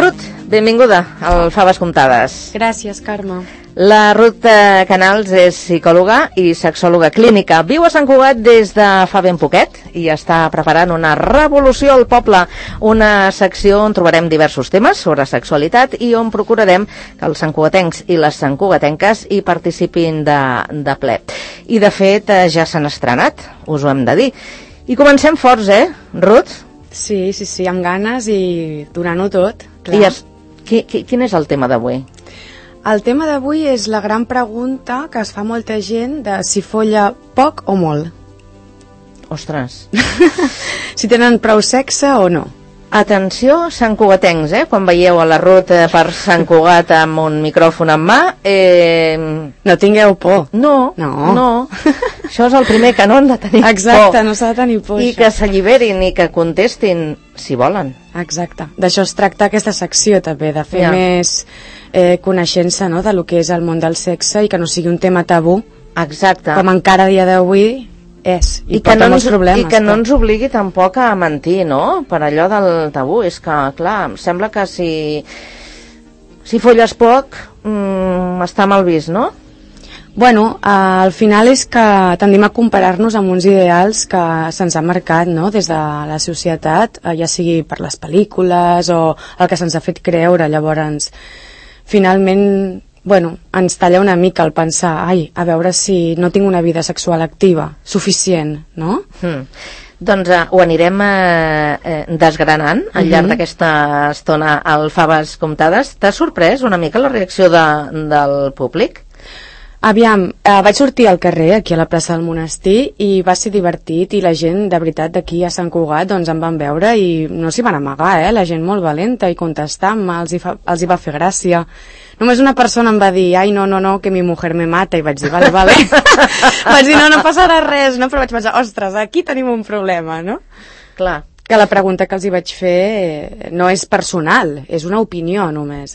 Ruth, benvinguda al Faves Comptades. Gràcies, Carme. La Ruth Canals és psicòloga i sexòloga clínica. Viu a Sant Cugat des de fa ben poquet i està preparant una revolució al poble, una secció on trobarem diversos temes sobre sexualitat i on procurarem que els santcugatencs i les santcugatenques hi participin de ple. I de fet ja s'han estrenat, us ho hem de dir. I comencem forts, Ruth? Sí, amb ganes i donant-ho tot. Clar. Quin és el tema d'avui? El tema d'avui és la gran pregunta que es fa molta gent de si folla poc o molt. Ostres. Si tenen prou sexe o no. Atenció, santcugatencs, quan veieu a la Ruth per Sant Cugat amb un micròfon en mà... No tingueu por. No. Això és el primer que no han de tenir por. Exacte, no s'ha de tenir por. I que s'alliberin i que contestin si volen. Exacte. D'això es tracta aquesta secció també, de fer més coneixença, no?, de lo que és el món del sexe i que no sigui un tema tabú. Exacte. Com encara a dia d'avui és. I porta molts problemes. I que no ens obligui tampoc a mentir, no?, per allò del tabú. És que, clar, em sembla que si folles poc està mal vist, no? Bueno, al final és que tendim a comparar-nos amb uns ideals que se'ns ha marcat, no?, des de la societat, ja sigui per les pel·lícules o el que se'ns ha fet creure. Llavors, finalment, bueno, ens talla una mica el pensar, a veure si no tinc una vida sexual activa, suficient, no? Doncs ho anirem desgranant al llarg d'aquesta estona al Faves Comptades. T'ha sorprès una mica la reacció del públic? Aviam, vaig sortir al carrer, aquí a la plaça del Monestir, i va ser divertit, i la gent, de veritat, d'aquí a Sant Cugat, doncs em van veure i no s'hi van amagar, la gent molt valenta i contestant-me, els hi va fer gràcia. Només una persona em va dir, ai, no, que mi mujer me mata, i vaig dir, vale. Vaig dir, no passarà res, no? Però vaig pensar, ostres, aquí tenim un problema, no? Clar. Que la pregunta que els hi vaig fer no és personal, és una opinió només,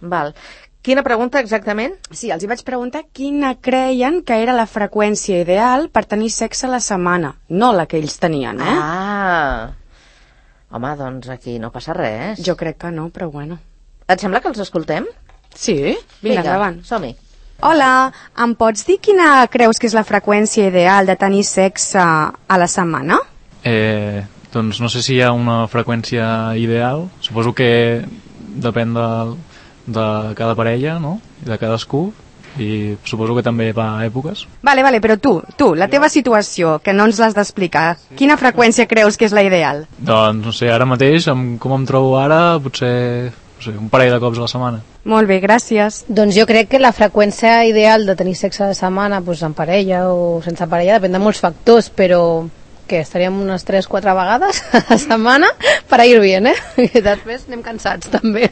Val. Quina pregunta exactament? Sí, els hi vaig preguntar quina creien que era la freqüència ideal per tenir sexe a la setmana, no la que ells tenien, Home, doncs aquí no passa res. Jo crec que no, però bueno. Et sembla que els escoltem? Sí, vinga, endavant. Som-hi. Hola, em pots dir quina creus que és la freqüència ideal de tenir sexe a la setmana? Doncs no sé si hi ha una freqüència ideal. Suposo que depèn de cada parella, no?, de cadascú, i suposo que també va a èpoques. Vale, però tu, la teva situació, que no ens l'has d'explicar, quina freqüència creus que és la ideal? Doncs no sé, ara mateix, com em trobo ara, potser un parell de cops a la setmana. Molt bé, gràcies. Doncs jo crec que la freqüència ideal de tenir sexe a la setmana, doncs en parella o sense parella, depèn de molts factors, però que estaríem unes 3-4 vegades a la setmana per ir bien, I després anem cansats també.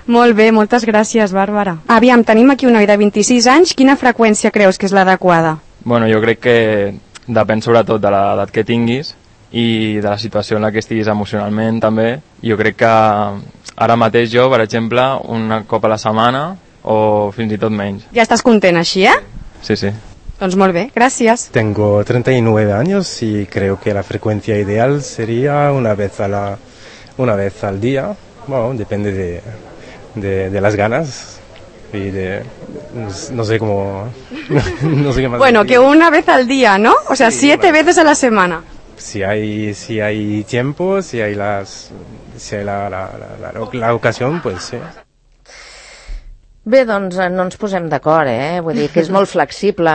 Molt bé, moltes gràcies, Bàrbara. Aviam, tenim aquí un noi de 26 anys, quina freqüència creus que és l'adequada? Bueno, jo crec que depèn sobretot de l'edat que tinguis i de la situació en la que estiguis emocionalment també. Jo crec que ara mateix jo, per exemple, un cop a la setmana o fins i tot menys. Ja estàs content així, Sí. Doncs molt bé, gracias. Tengo 39 años y creo que la frecuencia ideal sería una vez al día. Bueno, depende de las ganas y de... no sé cómo... no sé qué más Bueno, decir. que una vez al día, ¿no? O sea, sí, 7 veces a la semana. Si hay tiempo, si hay la ocasión, pues sí. Bé, doncs no ens posem d'acord, Vull dir que és molt flexible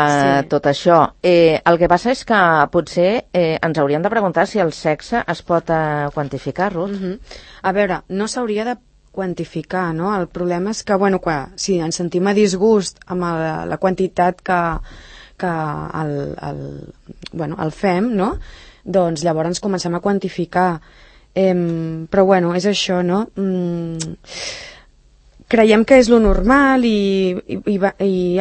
tot això. El que passa és que potser ens hauríem de preguntar si el sexe es pot quantificar, Ruth. A veure, no s'hauria de quantificar, no? El problema és que, bueno, si ens sentim a disgust amb la quantitat que el fem, no? Doncs llavors comencem a quantificar. Però, bueno, és això, no? Creiem que és lo normal i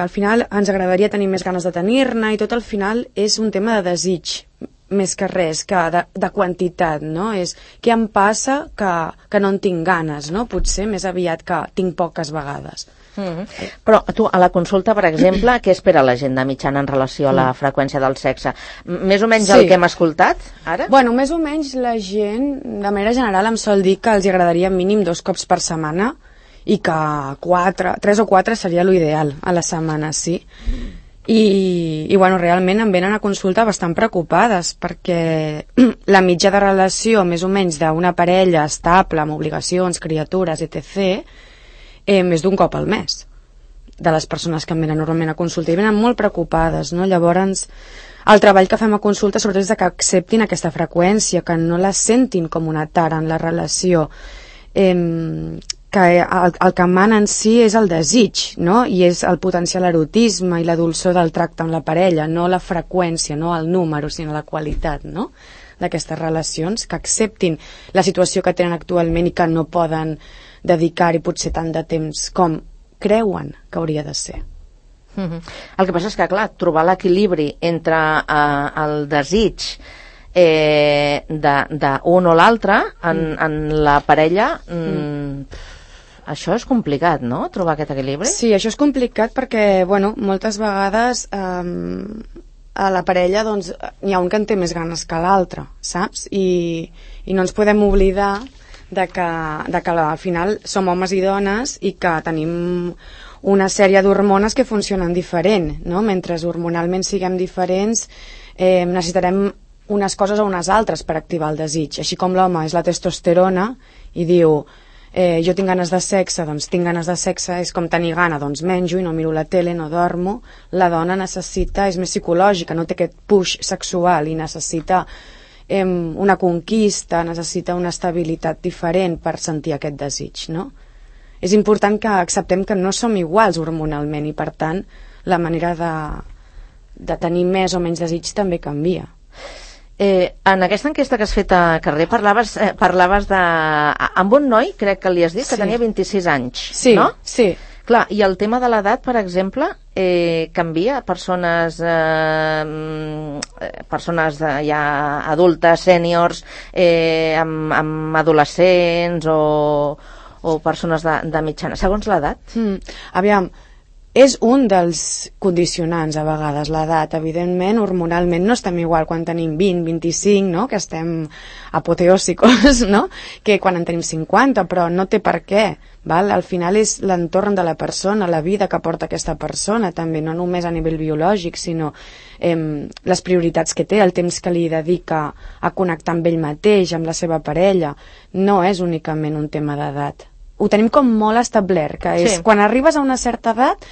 al final ens agradaria tenir més ganes de tenir-ne i tot al final és un tema de desig més que res, que de quantitat, no? És què em passa que no en tinc ganes, no? Potser més aviat que tinc poques vegades. Però tu, a la consulta, per exemple, què espera la gent de mitjana en relació a la freqüència del sexe? Més o menys el que hem escoltat, ara? Bueno, més o menys la gent, de manera general, em sol dir que els agradaria mínim 2 cops per setmana i que 3 o 4 seria l'ideal a la setmana, sí. I bueno, realment em venen a consulta bastant preocupades perquè la mitja de relació més o menys d'una parella estable amb obligacions, criatures, etc., més d'un cop al mes de les persones que em venen normalment a consulta i venen molt preocupades, no? Llavors el treball que fem a consulta sobretot és que acceptin aquesta freqüència, que no la sentin com una tara en la relació, que el que mana en si és el desig, no? I és el potencial erotisme i la dolçor del tracte amb la parella, no la freqüència, no el número, sinó la qualitat, no?, d'aquestes relacions, que acceptin la situació que tenen actualment i que no poden dedicar-hi potser tant de temps com creuen que hauria de ser. El que passa és que, clar, trobar l'equilibri entre el desig d'un o l'altre en la parella, això és complicat, no?, trobar aquest equilibri? Sí, això és complicat perquè, bueno, moltes vegades a la parella doncs n'hi ha un que en té més ganes que l'altre, saps? I no ens podem oblidar de que al final som homes i dones i que tenim una sèrie d'hormones que funcionen diferent, no? Mentre hormonalment siguem diferents, necessitarem unes coses o unes altres per activar el desig. Així com l'home és la testosterona i diu jo tinc ganes de sexe, doncs tinc ganes de sexe, és com tenir gana, doncs menjo i no miro la tele, no dormo. La dona necessita, és més psicològica, no té aquest push sexual i necessita una conquista, necessita una estabilitat diferent per sentir aquest desig, no? És important que acceptem que no som iguals hormonalment i per tant la manera de tenir més o menys desig també canvia. En aquesta enquesta que has fet a carrer parlaves amb un noi, crec que li has dit, que tenia 26 anys, sí, no? Sí. Clar, i el tema de l'edat, per exemple, canvia? Persones ja adultes, sèniors, amb adolescents o persones de mitjana, segons l'edat? Aviam, és un dels condicionants a vegades, l'edat. Evidentment, hormonalment no estem igual quan tenim 20, 25, no?, que estem apoteòsicos, no?, que quan en tenim 50, però no té per què, val? Al final és l'entorn de la persona, la vida que porta aquesta persona, també, no només a nivell biològic, sinó les prioritats que té, el temps que li dedica a connectar amb ell mateix, amb la seva parella, no és únicament un tema d'edat. Ho tenim com molt establert, que és quan arribes a una certa edat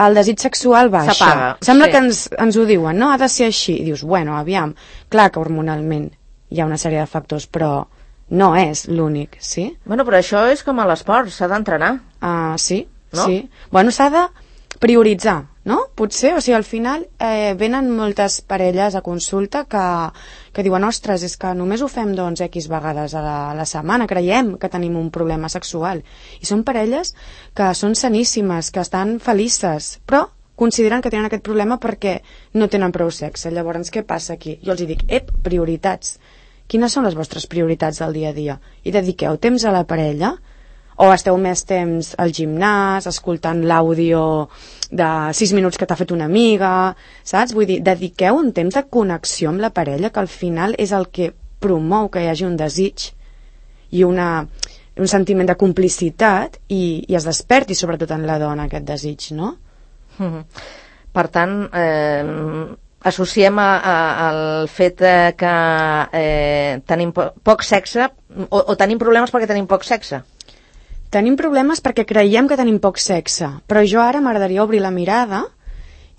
el desig sexual baixa. S'apaga. Sembla que ens ho diuen, no? Ha de ser així. I dius, bueno, aviam, clar que hormonalment hi ha una sèrie de factors, però no és l'únic, sí? Bueno, però això és com a l'esport, s'ha d'entrenar. Sí, no? Sí. Bueno, s'ha de prioritzar, no? Potser, o sigui, al final venen moltes parelles a consulta que diuen, ostres, és que només ho fem doncs X vegades a la setmana, creiem que tenim un problema sexual. I són parelles que són saníssimes, que estan felices, però consideren que tenen aquest problema perquè no tenen prou sexe. Llavors, què passa aquí? Jo els dic, prioritats. Quines són les vostres prioritats del dia a dia? I dediqueu temps a la parella? O esteu més temps al gimnàs, escoltant l'àudio de 6 minuts que t'ha fet una amiga, saps? Vull dir, dediqueu un temps de connexió amb la parella, que al final és el que promou que hi hagi un desig i un sentiment de complicitat i es desperti sobretot en la dona aquest desig, no? Per tant, associem al fet que tenim poc sexe o tenim problemes perquè tenim poc sexe. Tenim problemes perquè creiem que tenim poc sexe, però jo ara m'agradaria obrir la mirada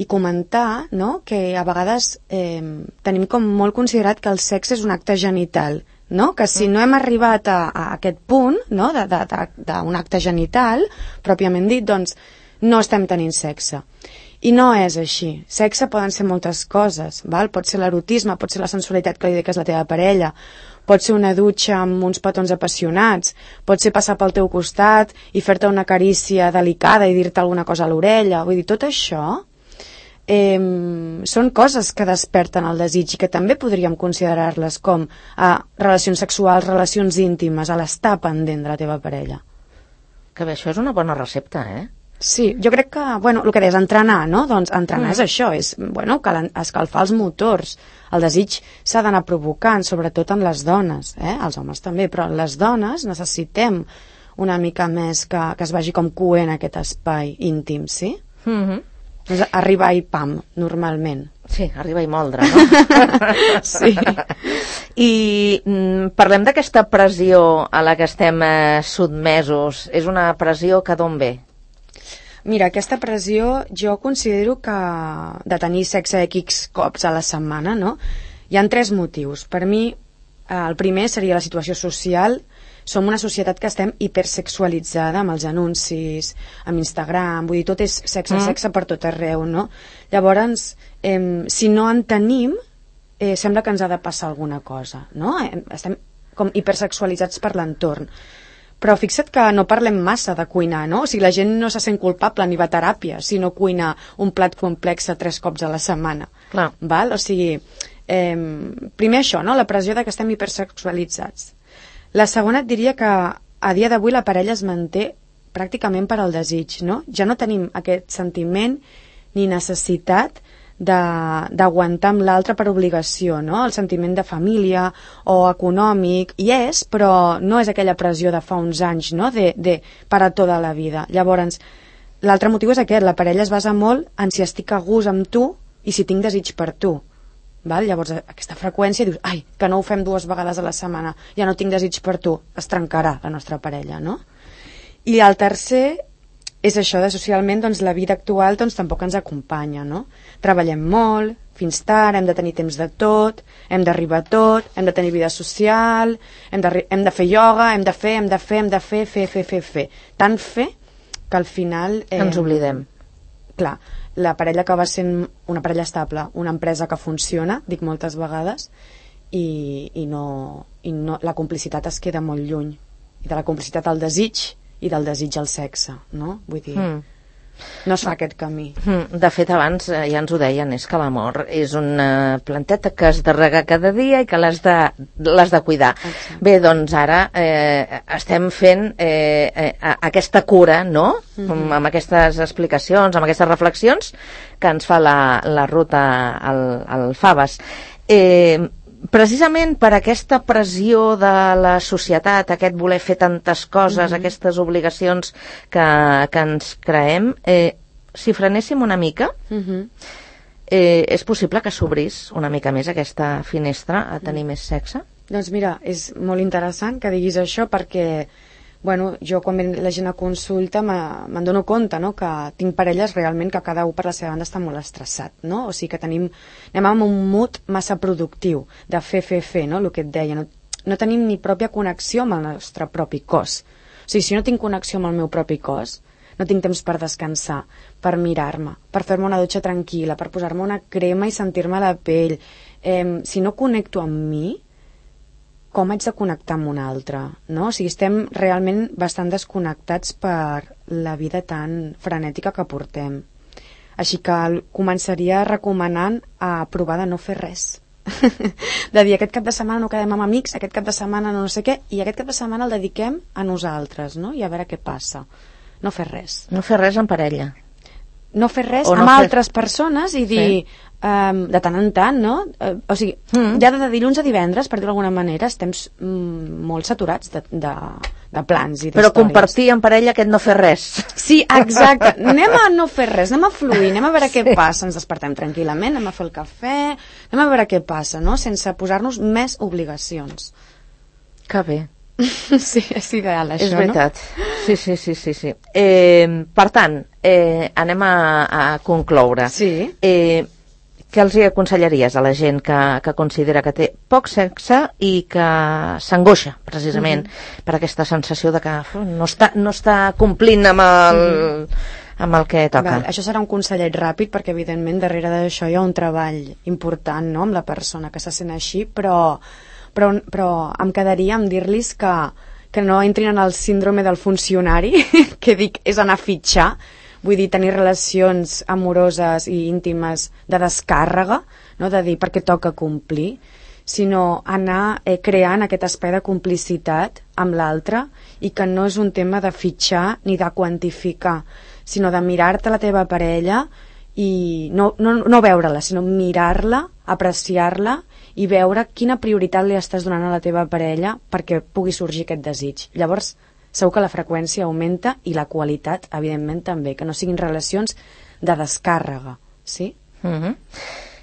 i comentar, no?, que a vegades tenim com molt considerat que el sexe és un acte genital, no?, que si no hem arribat a aquest punt, no?, d'un acte genital, pròpiament dit, doncs no estem tenint sexe. I no és així. Sexe poden ser moltes coses, val? Pot ser l'erotisme, pot ser la sensualitat que li dediques a la teva parella, pot ser una dutxa amb uns petons apassionats, pot ser passar pel teu costat i fer-te una carícia delicada i dir-te alguna cosa a l'orella. Vull dir, tot això són coses que desperten el desig i que també podríem considerar-les com relacions sexuals, relacions íntimes, a l'estar pendent de la teva parella. Que bé, això és una bona recepta, eh? Sí, jo crec que, bueno, el que deies, entrenar, no? Doncs entrenar és això, és, bueno, escalfar els motors. El desig s'ha d'anar provocant, sobretot en les dones, els homes també, però les dones necessitem una mica més que es vagi com coent aquest espai íntim, sí? Doncs arribar i pam, normalment. Sí, arriba i moldre, no? Sí. I parlem d'aquesta pressió a la que estem sotmesos. És una pressió que d'on ve? Mira, aquesta pressió jo considero que de tenir sexe X cops a la setmana, no? Hi ha 3 motius. Per mi, el primer seria la situació social. Som una societat que estem hipersexualitzada amb els anuncis, amb Instagram, vull dir, tot és sexe, sexe per tot arreu, no? Llavors, si no en tenim, sembla que ens ha de passar alguna cosa, no? Estem com hipersexualitzats per l'entorn. Però fixa't que no parlem massa de cuinar, no? O sigui, la gent no se sent culpable ni va a teràpia si no cuina un plat complex 3 cops a la setmana. Clar. Val? O sigui, primer això, no? La pressió de que estem hipersexualitzats. La segona et diria que a dia d'avui la parella es manté pràcticament per al desig, no? Ja no tenim aquest sentiment ni necessitat d'aguantar amb l'altre per obligació, no? El sentiment de família o econòmic hi és, però no és aquella pressió de fa uns anys, no? De para tota la vida. Llavors, l'altre motiu és aquest, la parella es basa molt en si estic a gust amb tu i si tinc desig per tu. Val? Llavors, aquesta freqüència dius, ai, que no ho fem 2 vegades a la setmana, ja no tinc desig per tu, es trencarà la nostra parella, no? I el tercer és això de socialment, doncs la vida actual doncs tampoc ens acompanya, no? Treballem molt, fins tard, hem de tenir temps de tot, hem d'arribar a tot, hem de tenir vida social, hem de fer ioga, hem de fer. Tant fer que al final... Ens oblidem. Clar, la parella acaba sent una parella estable, una empresa que funciona, dic moltes vegades, i no, la complicitat es queda molt lluny. I de la complicitat al desig i del desig al sexe, no? Vull dir, no es fa aquest camí. De fet, abans ja ens ho deien, és que l'amor és una planteta que has de regar cada dia i que l'has de cuidar. Exacte. Bé, doncs ara estem fent aquesta cura, no? Amb aquestes explicacions, amb aquestes reflexions que ens fa la Ruth al Faves. Precisament per aquesta pressió de la societat, aquest voler fer tantes coses, aquestes obligacions que ens creem, si frenéssim una mica, és possible que s'obrís una mica més aquesta finestra a tenir més sexe? Doncs mira, és molt interessant que diguis això perquè bueno, jo quan la gent a consulta me'n dono compte, no? Que tinc parelles realment que cada un per la seva banda està molt estressat, no? O sigui que anem amb un mood massa productiu de fer, no? El que et deia, no tenim ni pròpia connexió amb el nostre propi cos. O sigui, si no tinc connexió amb el meu propi cos, no tinc temps per descansar, per mirar-me, per fer-me una dutxa tranquil·la, per posar-me una crema i sentir-me la pell. Si no connecto amb mi, com haig de connectar amb un altre, no? O sigui, estem realment bastant desconnectats per la vida tan frenètica que portem. Així que començaria recomanant a provar de no fer res. De dir, aquest cap de setmana no quedem amb amics, aquest cap de setmana no sé què, i aquest cap de setmana el dediquem a nosaltres, no? I a veure què passa. No fer res. No fer res en parella. No fer res amb altres persones i dir... de tant en tant, no? O sigui, ja de dilluns a divendres, per dir-ho d'alguna manera, estem molt saturats de plans i d'històries. Però compartir en parella aquest no fer res. Sí, exacte. Anem a no fer res, anem a fluir, anem a veure què passa, ens despertem tranquil·lament, anem a fer el cafè, anem a veure què passa, no? Sense posar-nos més obligacions. Que bé. Sí, és ideal, això, és veritat. No? Sí. Per tant, anem a concloure. Sí. Què els aconsellaries a la gent que considera que té poc sexe i que s'angoixa, precisament, per aquesta sensació de que no està complint amb el que toca? Això serà un consellet ràpid, perquè evidentment darrere d'això hi ha un treball important, no?, amb la persona que se sent així, però em quedaria amb dir-los que no entrin en el síndrome del funcionari, que dic és anar a fitxar, vull dir, tenir relacions amoroses i íntimes de descàrrega, no? De dir perquè toca complir, sinó anar creant aquest espai de complicitat amb l'altre, i que no és un tema de fitxar ni de quantificar, sinó de mirar-te la teva parella i no veure-la, sinó mirar-la, apreciar-la i veure quina prioritat li estàs donant a la teva parella perquè pugui sorgir aquest desig. Llavors, segur que la freqüència augmenta i la qualitat, evidentment, també, que no siguin relacions de descàrrega, sí?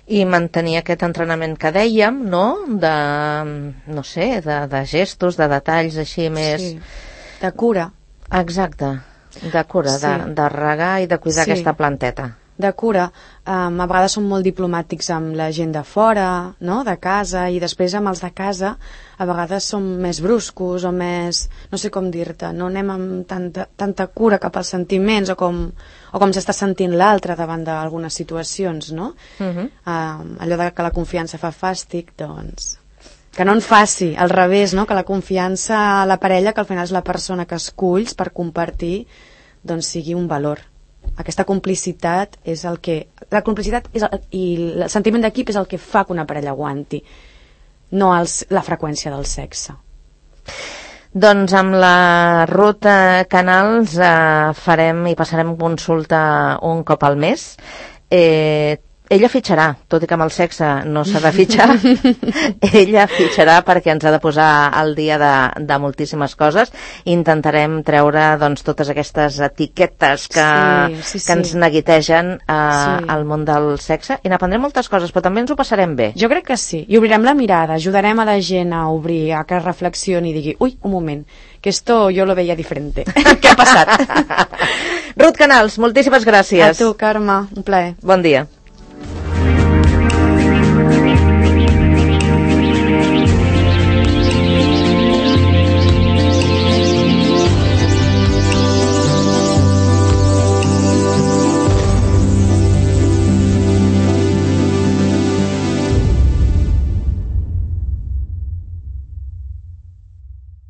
I mantenir aquest entrenament que dèiem, no? No sé, de gestos, de detalls així més... Sí, de cura. Exacte, de cura, sí. de regar i de cuidar aquesta planteta. De cura. A vegades som molt diplomàtics amb la gent de fora, no? De casa, i després amb els de casa a vegades som més bruscos o més, no sé com dir-te, no anem amb tanta cura cap als sentiments o com s'està sentint l'altre davant d'algunes situacions, no? Allò de que la confiança fa fàstic, doncs que no en faci, al revés, no? Que la confiança a la parella, que al final és la persona que esculls per compartir, doncs sigui un valor. Aquesta complicitat és el que... La complicitat i el sentiment d'equip és el que fa que una parella aguanti, no la freqüència del sexe. Doncs amb la Ruth Canals farem i passarem consulta un cop al mes. Ella fitxarà, tot i que amb el sexe no s'ha de fitxar. Ella fitxarà perquè ens ha de posar al dia de moltíssimes coses. Intentarem treure doncs, totes aquestes etiquetes que ens neguitegen al món del sexe, i n'aprendrem moltes coses, però també ens ho passarem bé. Jo crec que sí, i obrirem la mirada, ajudarem a la gent a obrir, a que reflexioni i digui, ui, un moment, que esto yo lo veía diferente. Què ha passat? Ruth Canals, moltíssimes gràcies. A tu, Carme, un plaer. Bon dia.